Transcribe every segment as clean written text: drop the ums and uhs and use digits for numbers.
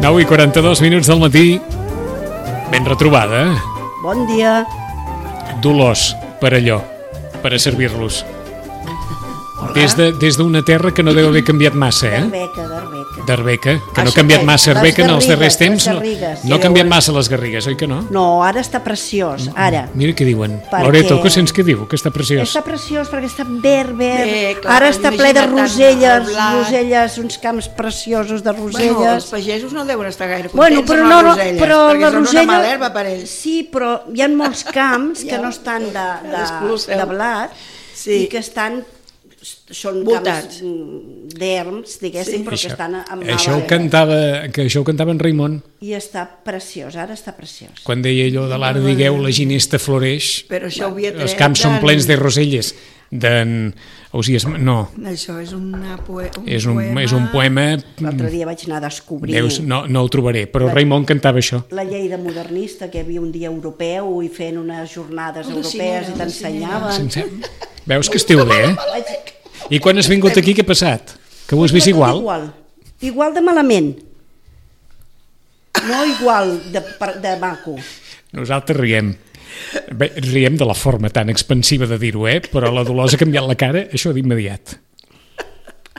9 i 42 minuts del matí. Ben retrobada. Bon dia. Dolors, per allò, per a servir-los. Des d'una terra que no deu haver canviat massa, d'Arbeca, que no ha canviat massa Arbeca en els darrers temps, no ha canviat massa les Garrigues, oi que no? No, ara està preciós, ara. Mira què diuen. Loreto, què sents que diu, que està preciós? Està preciós perquè està verd. Ara està ple de roselles, uns camps preciosos de roselles. Bueno, els pagesos no deuen estar gaire contents amb les roselles, perquè són una mala herba per ells. Sí, però hi ha molts camps que no estan de blat i que són camps d'erms, diguéssim, però que estan amb mala herba. Això ho cantava en Raimon. I està preciós, ara està preciós. Quan deia allò de l'art digueu, la ginesta floreix, els camps són plens de roselles. No. Això és un poema. L'altre dia vaig anar a descobrir. No ho trobaré, però Raimon cantava això. La Lleida modernista, que hi havia un dia europeu i fent unes jornades europees i t'ensenyaven. Veus que esteu bé, I quan has vingut aquí, què ha passat? Que ho has vist igual? Igual de malament. No igual de maco. Nosaltres riem de la forma tan expansiva de dir-ho, però la Dolors ha canviat la cara, això d'immediat.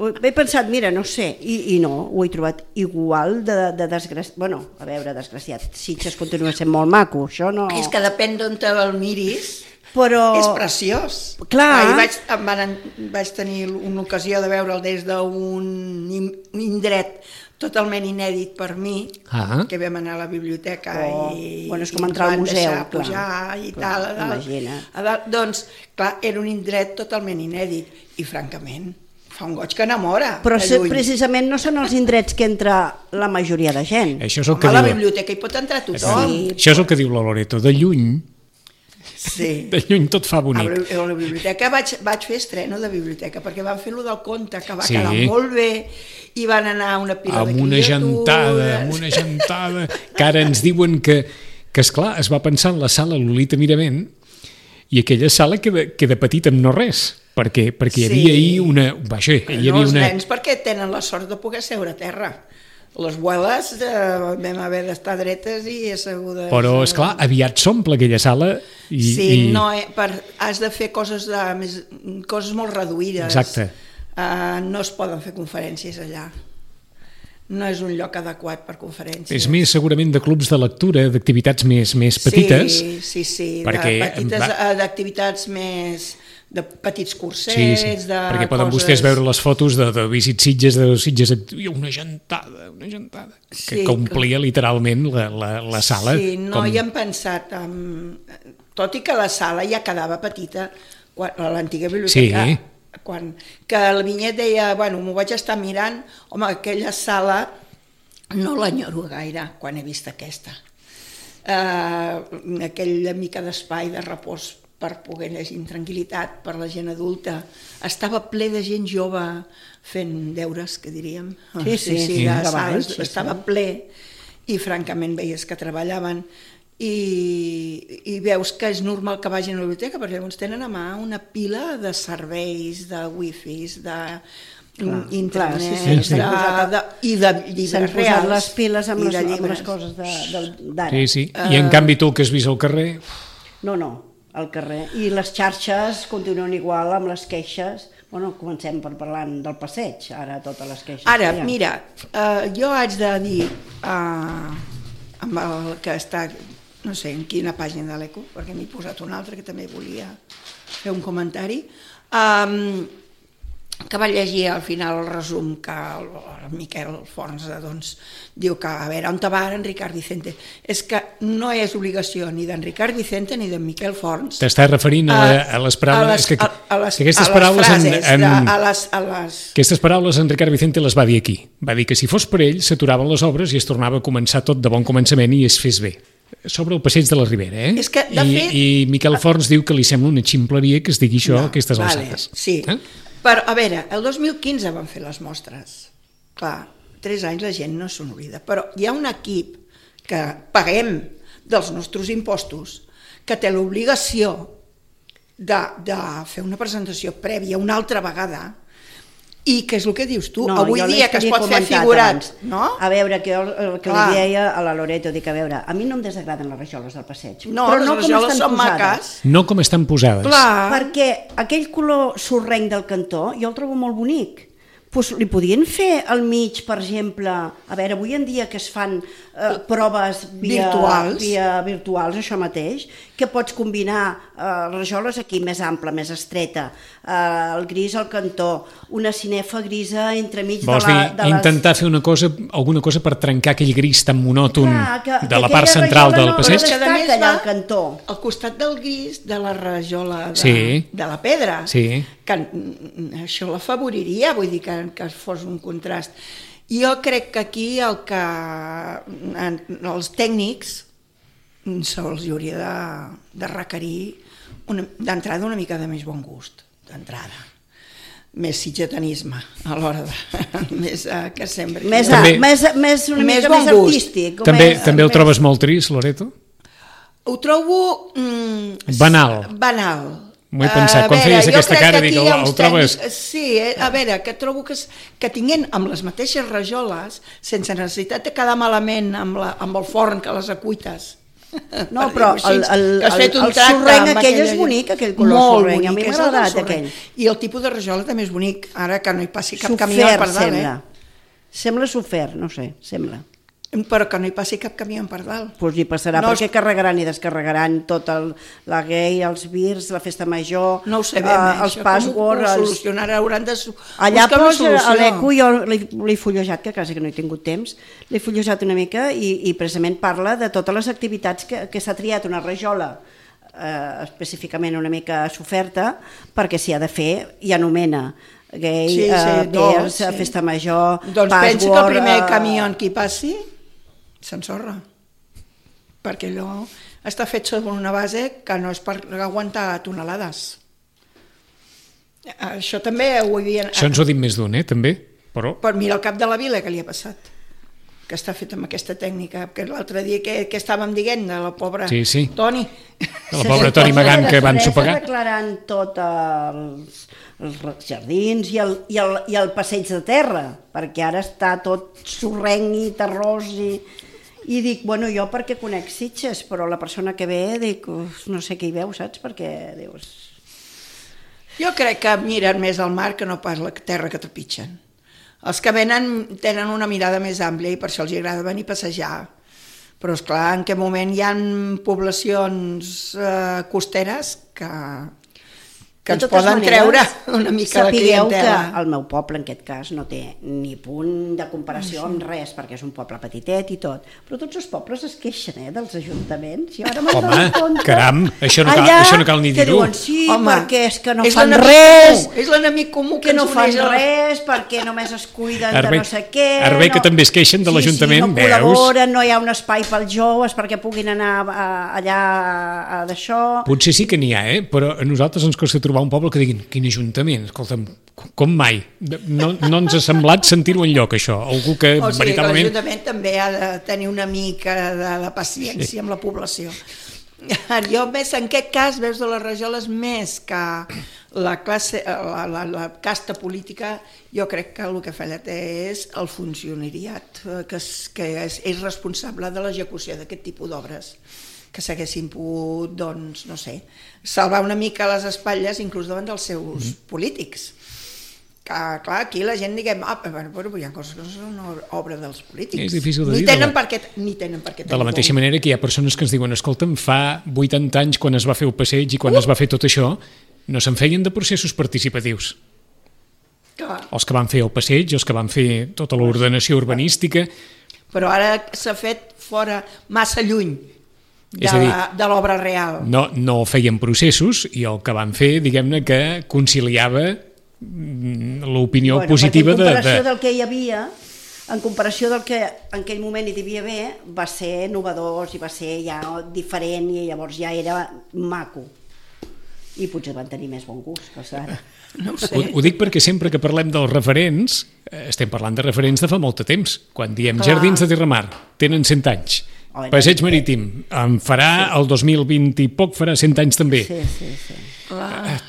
He pensat, mira, no sé, i no, ho he trobat igual de desgraciat. Bueno, a veure, desgraciat, Sitges continua sent molt maco, això no... És que depèn d'on te'l miris, però... és preciós. Clar. Vaig tenir una ocasió de veure'l des d'un indret totalment inèdit per mi, que vam anar a la biblioteca i és com entrar al museu, pujar i tal. Doncs, clar, era un indret totalment inèdit i, francament, fa un goig que enamora. Però precisament no són els indrets que entra la majoria de gent. A la biblioteca hi pot entrar tothom. Això és el que diu la Loreto, de lluny. Sí. De lluny tot fa bonic. A la biblioteca vaig fer estreno de biblioteca perquè van fer-lo del conte, que va quedar molt bé, i van anar a una pila de criatures. Amb una gentada, que ara ens diuen que esclar, es va pensar en la sala Lolita Mirament i aquella sala queda petita amb no res, perquè hi havia ahir una... Els nens perquè tenen la sort de poder seure a terra. Les abueles vam haver d'estar dretes i assegudes... Però, esclar, aviat s'omple aquella sala i... Sí, has de fer coses molt reduïdes. Exacte. No es poden fer conferències allà. No és un lloc adequat per conferències. És més, segurament, de clubs de lectura, d'activitats més petites. Sí, d'activitats més... de petits cursets, perquè poden vostès veure les fotos de Visit Sitges, una gentada, que omplia literalment la sala. Sí, no hi hem pensat, tot i que la sala ja quedava petita, a l'antiga biblioteca, que el Vinyet deia, m'ho vaig estar mirant, home, aquella sala no l'enyoro gaire quan he vist aquesta. Aquella mica d'espai de repòs per poder llegir en tranquil·litat per la gent adulta. Estava ple de gent jove fent deures, que diríem. Sí, estava ple i francament veies que treballaven i veus que és normal que vagin a la biblioteca perquè llavors tenen a mà una pila de serveis, de wifis, d'internet i de llibres reals. S'han posat les piles amb les coses d'ara. Sí, i en canvi tu que has vist al carrer... No, al carrer. I les xarxes continuen igual amb les queixes. Bueno, comencem per parlar del passeig, ara totes les queixes. Ara, mira, jo haig de dir, amb el que està, no sé en quina pàgina de l'Eco, perquè m'he posat una altra que també volia fer un comentari, que va llegir al final el resum que el Miquel Forns diu que a veure on te va en Ricard Vicente. És que no és obligació ni d'en Ricard Vicente ni d'en Miquel Forns. T'estàs referint a les paraules... Aquestes paraules en Ricard Vicente les va dir aquí. Va dir que si fos per ell s'aturaven les obres i es tornava a començar tot de bon començament i es fes bé. Sobre el passeig de la Ribera, eh? I Miquel Forns diu que li sembla una ximpleria que es digui això a aquestes alçades. Sí. Però, a veure, el 2015 van fer les mostres. Clar, 3 anys la gent no se n'oblida. Però hi ha un equip que paguem dels nostres impostos que té l'obligació de fer una presentació prèvia una altra vegada i que és el que dius tu, avui dia que es pot fer figurat, no? A veure, el que li deia a la Loreto, dic, a veure, a mi no em desagraden les rajoles del passeig. No, les rajoles són maques. No com estan posades. Perquè aquell color sorrenc del cantó jo el trobo molt bonic. Doncs li podien fer al mig, per exemple, a veure, avui en dia que es fan proves virtuals, això mateix, que pots combinar rajoles aquí més ampla, més estreta, el gris al cantó, una cinefa grisa entremig de les... Vols dir, intentar fer alguna cosa per trencar aquell gris tan monòton de la part central del passeig? Que a més va al costat del gris de la rajola de la pedra, que això l'afavoriria, vull dir que fos un contrast. Jo crec que aquí els tècnics se'ls hauria de requerir d'entrada una mica de més bon gust, d'entrada. Més sitgetanisme a l'hora de... que sembri... Una mica més artístic. També ho trobes molt trist, Loreto? Ho trobo... Banal. M'ho he pensat, quan feies aquesta cara dic, el trobes... Sí, a veure, que trobo que tinguent amb les mateixes rajoles, sense necessitat de quedar malament amb el forn que les acuites. No, però el sorrenc aquell és bonic, aquell color sorrenc, a mi m'ha agradat aquell. I el tipus de rajola també és bonic, ara que no hi passi cap camió per dalt. Sembla sofert, no sé, sembla. Però que no hi passi cap camió per dalt. Doncs hi passarà, perquè carregaran i descarregaran tot la gay, els virs, la festa major, no ho sabem, els passwords... Com ho solucionaran, hauran de allà posa a l'Eco, jo l'he fullejat, que quasi que no he tingut temps, l'he fullejat una mica i precisament parla de totes les activitats que s'ha triat una rajola específicament una mica soferta, perquè s'hi ha de fer i anomena gay, virs, festa major, password... Doncs pensa que el primer camió que hi passi s'ensorra, perquè allò està fet sobre una base que no és per aguantar tonelades. Això també ho havien... Això ens ho ha dit més d'un, també? Però mira el cap de la vila que li ha passat, que està fet amb aquesta tècnica, que l'altre dia que estàvem dient de la pobra Toni. De la pobra Toni Magant que van sopegar. Declarant tots els jardins i el passeig de terra, perquè ara està tot sorrenc i terrós i dic, bueno, jo perquè conec Sitges, però la persona que ve, dic, no sé què hi veu, saps? Perquè dius... Jo crec que miren més el mar que no pas la terra que trepitgen. Els que venen tenen una mirada més àmplia i per això els agrada venir a passejar. Però, esclar, en què moment hi ha poblacions costeres que ens poden treure una mica la clientela. Sapigueu que el meu poble, en aquest cas, no té ni punt de comparació amb res, perquè és un poble petitet i tot, però tots els pobles es queixen dels ajuntaments. Home, caram, això no cal ni dir-ho. Diuen, sí, perquè és que no fan res, és l'enemic comú que no fan res, perquè només es cuiden de no sé què. Ara bé que també es queixen de l'Ajuntament, veus? No col·laboren, no hi ha un espai pels joves perquè puguin anar allà d'això. Potser sí que n'hi ha, però a nosaltres ens costa trobar un poble que diguin, quin ajuntament, escolta'm, com mai. No ens ha semblat sentir-ho enlloc, això. Algú que veritablement... L'Ajuntament també ha de tenir una mica de paciència amb la població. Jo més, en aquest cas, veus de les rajoles més que la casta política, jo crec que el que falla és el funcionariat, que és responsable de l'execució d'aquest tipus d'obres. que s'haguessin pogut, doncs, no sé, salvar una mica les espatlles inclús davant dels seus polítics. Que, clar, aquí la gent diguem, però hi ha coses que no són una obra dels polítics. És difícil de dir. Ni tenen per què. De la mateixa manera que hi ha persones que ens diuen, escolta'm, fa 80 anys quan es va fer el passeig i quan es va fer tot això, no se'n feien de processos participatius. Clar. Els que van fer el passeig, els que van fer tota l'ordenació urbanística. Però ara s'ha fet fora, massa lluny de l'obra real. No feien processos i el que van fer, diguem-ne, que conciliava l'opinió positiva de... En comparació del que hi havia, en comparació del que en aquell moment hi devia haver, va ser innovador i va ser ja diferent i llavors ja era maco. I potser van tenir més bon gust que ara. No ho sé. Ho dic perquè sempre que parlem dels referents, estem parlant de referents de fa molt de temps. Quan diem Jardins de Terramar, tenen 100 anys. Passeig Marítim, en farà el 2020 i poc, farà 100 anys també. Sí.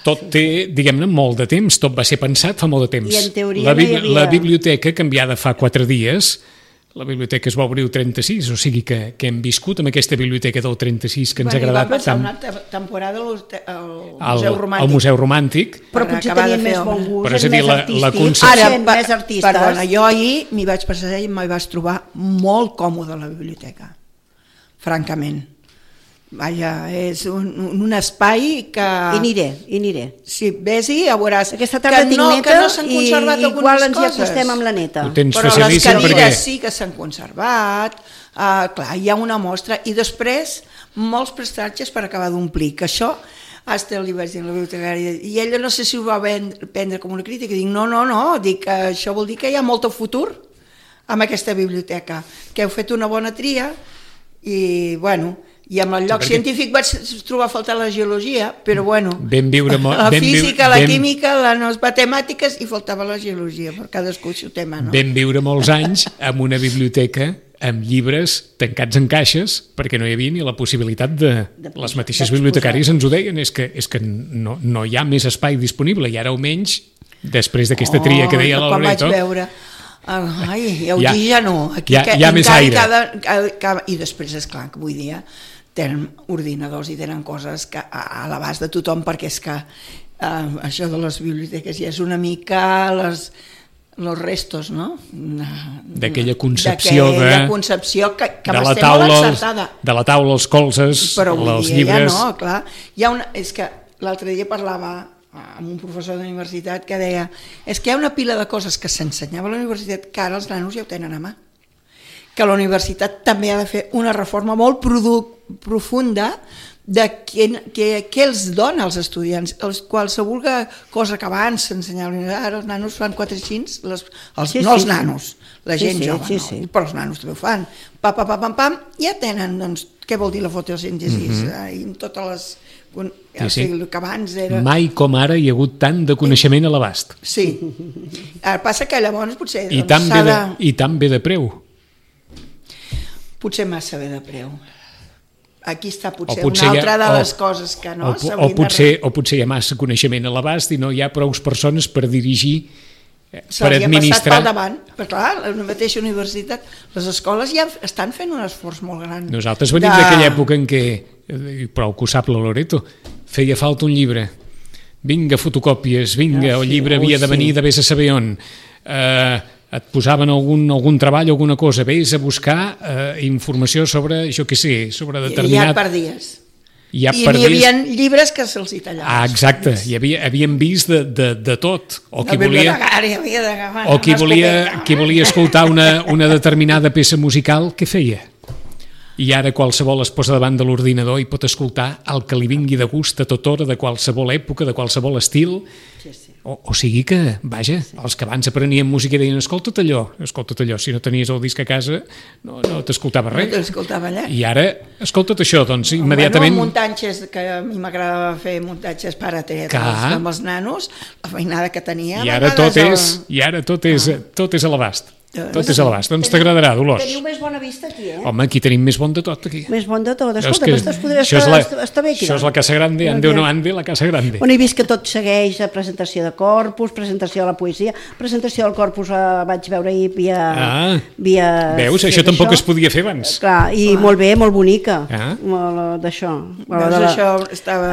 Tot té, diguem-ne, molt de temps, tot va ser pensat fa molt de temps. I en teoria la biblioteca, canviada fa 4 dies, la biblioteca es va obrir el 36, o sigui que hem viscut amb aquesta biblioteca del 36 que ens ha agradat tant. Va passar una temporada al Museu Romàntic. Però potser tenien més bon gust, però és a dir, la concepció... més artistes. Perdona, jo ahir m'hi vaig passar i m'hi vaig trobar molt còmode a la biblioteca, francament. Vaja, és un espai que... I aniré. Si vés-hi, ja veuràs aquesta tarda tinc neta que no s'han conservat algunes igual ens hi coses. acostem amb la neta. Però les cadires sí que s'han conservat, clar, hi ha una mostra, i després molts prestatges per acabar d'omplir, que això hasta li vaig dir a la bibliotecària, i ella no sé si ho va prendre com una crítica, dic no, dic que això vol dir que hi ha molt futur amb aquesta biblioteca, que heu fet una bona tria, i bueno... I amb el lloc científic vaig trobar a faltar la geologia, però bueno, la física, la química, les matemàtiques, i faltava la geologia, per cadascú el seu tema, no? Vam viure molts anys en una biblioteca amb llibres tancats en caixes, perquè no hi havia ni la possibilitat de les mateixes bibliotecàries ens ho deien, és que no hi ha més espai disponible, i ara almenys, després d'aquesta tria que deia la Loreto... Quan vaig veure... Aquí ja no, aquí hi ha més aire. I després, esclar, que avui dia tenen ordinadors i tenen coses que a l'abast de tothom, perquè és que això de les biblioteques ja és una mica los restos, no? D'aquella concepció que va ser molt encertada. De la taula, els colzes, els llibres... Ja no, clar. És que l'altre dia parlava amb un professor d'universitat que deia és que hi ha una pila de coses que s'ensenyava a la universitat que ara els nanos ja ho tenen a mà. Que la universitat també ha de fer una reforma molt profunda de què els dona als estudiants. Qualsevol cosa que abans s'ensenyava, ara els nanos fan 4 aixins, no els nanos, la gent jove, però els nanos també ho fan. Pam, ja tenen, doncs, què vol dir la fotosíntesi? I totes les... que abans era... Mai com ara hi ha hagut tant de coneixement a l'abast. Sí. Ara passa que llavors potser... I tan bé de preu. Potser massa bé de preu. Aquí està potser una altra de les coses que no s'haurien o potser hi ha massa coneixement a l'abast i no hi ha prou persones per dirigir, per administrar... Passat pel davant, però clar, la mateixa universitat, les escoles ja estan fent un esforç molt gran. Nosaltres venim d'aquella època en què, prou que ho sap la Loreto, feia falta un llibre, vinga fotocòpies, vinga, el llibre havia de venir de vés a saber on, et posaven algun treball, alguna cosa, vés a buscar informació sobre, jo què sé, sobre determinat... I ja perdies. I n'hi havia llibres que se'ls hi tallaven. Exacte, havíem vist de tot. O qui volia escoltar una determinada peça musical, què feia? I ara qualsevol es posa davant de l'ordinador i pot escoltar el que li vingui de gust a tota hora, de qualsevol època, de qualsevol estil. O sigui que, vaja, els que abans aprenien música deien escolta't allò, si no tenies el disc a casa no t'escoltava res. No t'escoltava allà. I ara, escolta't això, doncs immediatament... Muntatges, que a mi m'agradava fer muntatges per a amb els nanos, la feinada que tenia... I ara tot és a l'abast. Tot és a l'abast. Doncs t'agradarà, Dolors. Teniu més bona vista aquí, Home, aquí tenim més bon de tot, aquí. Més bon de tot. Escolta, està bé aquí. Això és la Casa Grande, ande o no ande, la Casa Grande. He vist que tot segueix a presentació de corpus, presentació de la poesia, presentació del corpus vaig veure ahir via... Veus? Això tampoc es podia fer abans. Clar, i molt bé, molt bonica, d'això.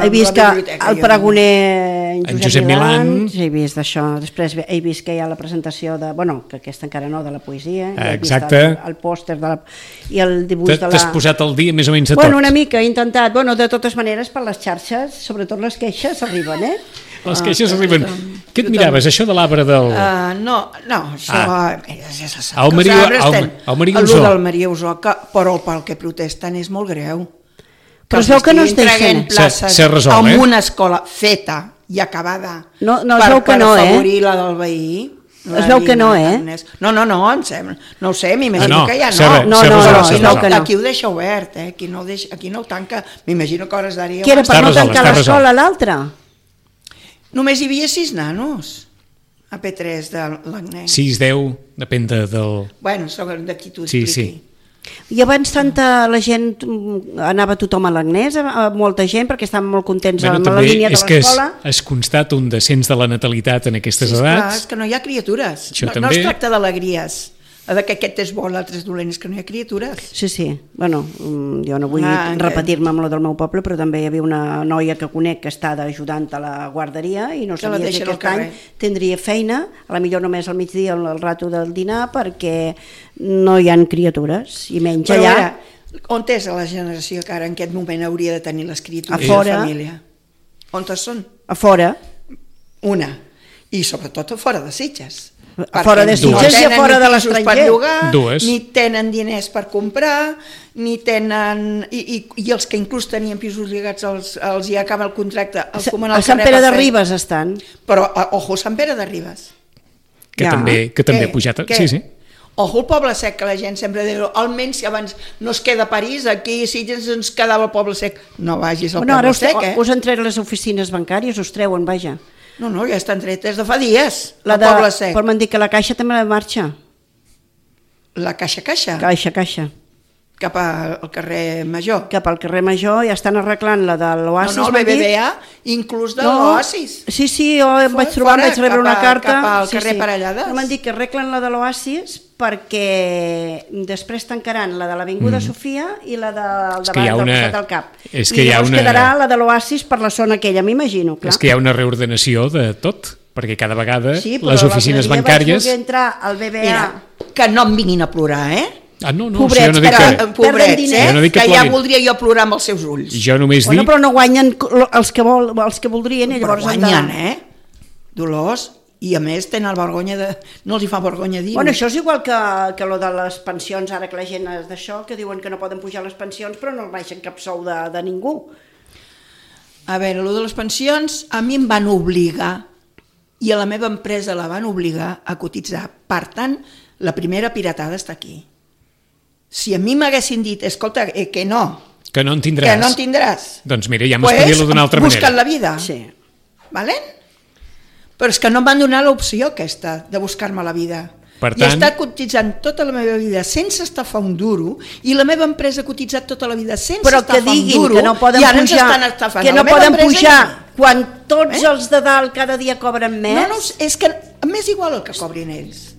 He vist que el pregoner en Josep Milán, he vist d'això, després he vist que hi ha la presentació de, bueno, que aquesta encara no, de la poesia, exacte, el pòster i el dibuix de la... T'has posat al dia més o menys de tot. Bueno, una mica, he intentat, de totes maneres per les xarxes, sobretot les queixes arriben, Les queixes arriben. Què et miraves, això de l'arbre del... No, això... El Maria Usó. El del Maria Usó, però pel que protesten és molt greu. Però es veu que no es deixen. S'ha resolt, en una escola feta i acabada per afavorir la del veí. Es veu que no, No, em sembla. No ho sé, m'imagino que ja no. Aquí ho deixa obert, aquí no ho tanca. M'imagino que hores d'ara... Què era, per no tancar l'escola l'altra? Només hi havia 6 nanos a P3 de l'Agnès. 6, 10, depèn del... Bueno, d'aquí t'ho expliqui. Sí. I abans la gent anava tothom a l'Agnès, molta gent, perquè estaven molt contents amb la línia de l'escola. És que es constata un descens de la natalitat en aquestes edats. Clar, és que no hi ha criatures. No es tracta d'alegries, que aquest és bo, l'altre és dolent, és que no hi ha criatures. Sí. Bueno, jo no vull repetir-me amb lo del meu poble, però també hi havia una noia que conec que està ajudant a la guarderia i no sabia si aquest any tindria feina, a la millor només al migdia al rato del dinar, perquè no hi ha criatures i menys allà. On és la generació que ara en aquest moment hauria de tenir les criatures de la família? On són? A fora. Una. I sobretot a fora de Sitges. A fora de Sitges i a fora de l'estranger. Ni tenen diners per comprar, ni tenen... I els que inclús tenien pisos lligats els hi acaba el contracte. A Sant Pere de Ribes estan. Però, ojo, Sant Pere de Ribes. Que també ha pujat. Sí. Ojo, el Poble Sec, que la gent sempre diu, almenys si abans no es queda a París, aquí a Sitges ens quedava el Poble Sec. No vagis al Poble Sec, Us han tret les oficines bancàries, us treuen, vaja. No, ja estan tretes de fa dies, al Poble Sec. Però m'han dit que la Caixa també marxa. La Caixa? Caixa. Cap al carrer Major. Cap al carrer Major, ja estan arreglant la de l'Oasis. No, el BBVA, inclús de l'Oasis. Sí, jo em vaig trobar, vaig rebre una carta. Cap al carrer Parellades. M'han dit que arreglen la de l'Oasis perquè després tancaran la de l'Avinguda Sofia i la del davant del costat del Cap. I llavors quedarà la de l'Oasis per la zona aquella, m'imagino. És que hi ha una reordenació de tot, perquè cada vegada les oficines bancàries... Sí, però vaig voler entrar al BBVA... Mira, que no em vinguin a plorar, no, pobrets, pobrets, que ja voldria jo plorar amb els seus ulls. Jo només dic... Però no guanyen els que voldrien, llavors guanyen, Dolors, i a més tenen vergonya de... No els hi fa vergonya dir-ho. Bueno, això és igual que lo de les pensions, ara que la gent és d'això, que diuen que no poden pujar les pensions, però no baixen cap sou de ningú. A veure, lo de les pensions, a mi em van obligar, i a la meva empresa la van obligar a cotitzar. Per tant, la primera piratada està aquí. Si a mi m'haguessin dit, escolta, que no en tindràs, doncs mira, ja m'espedia-lo d'una altra manera. Busca't la vida. Sí. Valent? Però és que no em van donar l'opció aquesta de buscar-me la vida. Per tant, i he estat cotitzant tota la meva vida sense estafar un duro, i la meva empresa ha cotitzat tota la vida sense estafar un duro, i ara ens estan estafant. Que no poden pujar quan tots els de dalt cada dia cobren més. No, és que m'és igual el que cobrin ells.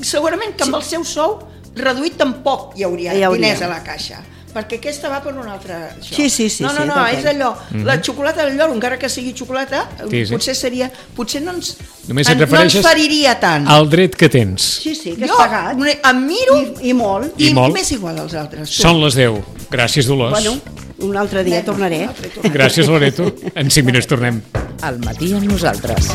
Segurament que amb el seu sou reduït tampoc hi hauria diners a la caixa, perquè aquesta va per un altre... Sí. No, és allò, la xocolata del lloro, encara que sigui xocolata, potser no ens feriria tant. Al dret que tens. Sí, que has pagat. Jo em miro i molt. I m'és igual als altres. Són les 10. Gràcies, Dolors. Bueno, un altre dia tornaré. Gràcies, Loreto. En 5 minuts tornem. Al matí amb nosaltres.